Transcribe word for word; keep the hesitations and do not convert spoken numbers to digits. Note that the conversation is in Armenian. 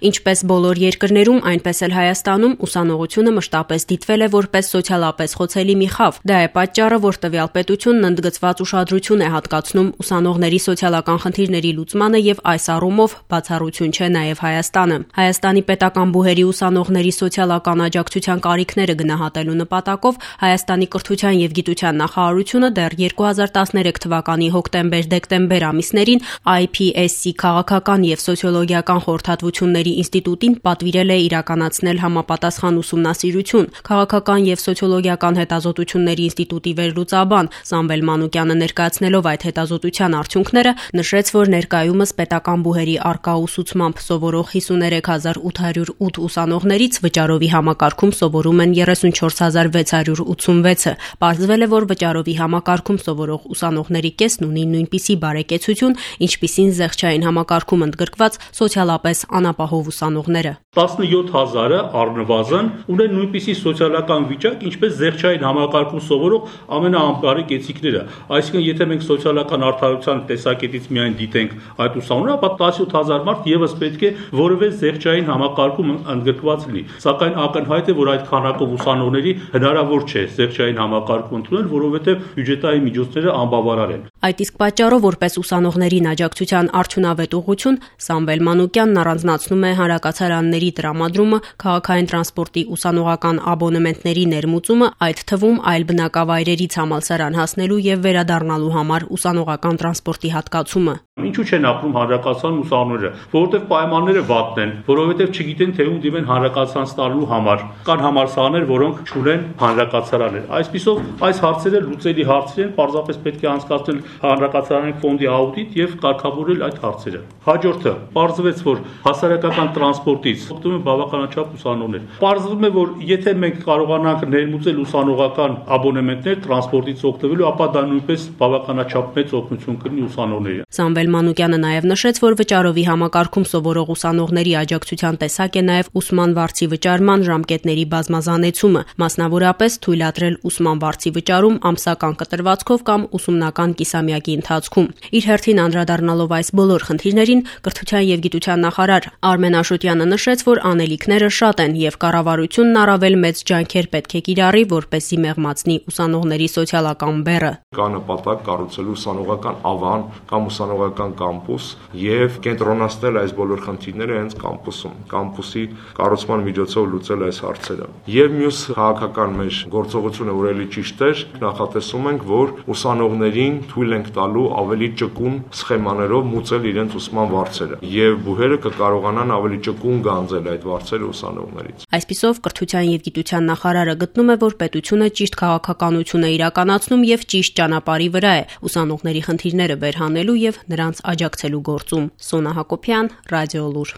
Ինչպես բոլոր երկրներում, այնպես էլ Հայաստանում ուսանողությունը մշտապես դիտվել է որպես սոցիալապես խոցելի մի խավ։ Դա է պատճառը, որ տվյալ պետությունն ընդգծված ուշադրություն է հատկացնում ուսանողների սոցիալական խնդիրների լուծմանը եւ այս առումով բացառություն չէ նաեւ Հայաստանը։ Հայաստանի պետական բուհերի ուսանողների սոցիալական աջակցության կարիքները գնահատելու նպատակով Հայաստանի կրթության եւ գիտության նախարարությունը դեռ երկու հազար տասներեք թվականի հոկտեմբեր-դեկտեմբեր ամիսներին I P S C քաղաքական եւ սոցիոլոգիական խորհրդատվությունների ինստիտուտին պատվիրել է իրականացնել համապատասխան ուսումնասիրություն։ Քաղաքական եւ սոցիոլոգիական հետազոտությունների ինստիտուտի վերլուծաբան Սամվել Մանուկյանը ներկայացնելով այդ հետազոտության արդյունքները նշեց, որ ներկայումս պետական բուհերի առկա ուսուցմամբ սովորող հիսուներեք հազար ութ հարյուր ութ ուսանողներից վճարովի համակարգում սովորում են երեսունչորս հազար վեց հարյուր ութսունվեցը։ Պարզվել է, որ վճարովի համակարգում սովորող ուսանողների կեսն ունի նույնպիսի բարեկեցություն, ինչպիսին զեղչային համակարգում ընդգրկված սոցիալապես անապահով ուսանողները։ տասնյոթ հազարը առնվազն ունեն նույնպիսի սոցիալական վիճակ, ինչպես զեղչային համակարգում սովորող ամենաանբարի կեցիկները։ Այսինքն, եթե մենք սոցիալական արդարության տեսակետից միայն դիտենք այդ ուսանողները, ապա տասնյոթ հազար մարդ եւս պետք է որևէ զեղչային համակարգում ընդգրկված լինի։ Սակայն ակնհայտ է, որ այդ քանակով ուսանողների հնարավոր չէ զեղչային համակարգում ընդունել, որովհետեւ բյուջետային միջոցները անբավարար են։ Այդ իսկ պատճառով, որպես ուսանողներին աջակցության արդյունավետ ուղղություն, Սամվել Մանուկյանն առանձնացնում է հանրակացարանների տրամադրումը, քաղաքային տրանսպորտի ուսանողական աբոնեմենտների ներմուծումը, այդ թվում այլ բնակավայրերից համալսարան հասնելու եւ վերադառնալու համար ուսանողական տրանսպորտի հատկացումը։ Ինչու չեն ապրում հանրակացարան ուսանողները, որովհետև պայմանները վատն են, որովհետև չգիտեն թե ում դիմեն հանրակացարան ստանալու համար։ Կան համալսարաններ, որոնք չունեն հանրակացարաններ։ Այսպիսով այս հարցերը լուծելի հարցեր են, պարզապես պետք է անցկացնել հանրակացարանի ֆոնդի աուդիտ եւ կարգավորել այդ հարցերը։ Հաջորդը, պարզվեց, որ հասարակական տրանսպորտից օգտվում են բավականաչափ ուսանողներ։ Պարզվում է, որ եթե մենք կարողանանք ներմուծել ուսանողական աբոնեմենտներ տրանսպորտից օգտվելու, ապա դա նույնպես բավականաչափ մեծ օգնություն կլինի ուսանողներին։ Սամվել Մանուկյանը նաև նշեց, որ վճարովի համակարգում սովորող ուսանողների աջակցության տեսակ է նաև ուսման վարձի վճարման ժամկետների բազմազանեցումը, մասնավորապես թույլատրել ուսման վարձի վճարում ամսական կտրվածքով կամ ուսումնական կիսամյակի ընթացքում։ Իր հերթին անդրադառնալով այս բոլոր խնդիրներին, կրթության եւ գիտության նախարար Արմեն Աշոտյանը նշեց, որ անելիքները շատ են եւ կառավարությունն առավել մեծ ջանքեր պետք է կիրառի, որպեսզի մեղմացնի ուսանողների սոցիալական բեռը։ Կա նպատակ կառուցել ուսանողական ավան կամ ուսանողական կամպուս եւ կենտրոնացնել այս բոլոր խնդիրները հենց կամպուսում, կամպուսի կառուցման միջոցով լուծել այս հարցերը։ Եվ մյուս քաղաքական մեր գործողությունը, որ էլի ճիշտ է, նախատեսում ենք, որ ուսանողներին թույլ ենք տալու ավելի ճկուն սխեմաներով մուծել իրենց ուսման վարձերը եւ բուհերը կկարողանան ավելի ճկուն գանձել այդ վարձերը ուսանողներից։ Այսպիսով կրթության եւ գիտության նախարարը գտնում է, որ պետությունը ճիշտ քաղաքականություն է իրականացնում եւ ճիշտ ճանապարհի վրա է ուսանողների խնդիրները վերհանելու եւ նրանց աջակցելու գործում։ Սոնա Հակոբյան, Ռադիոլուր։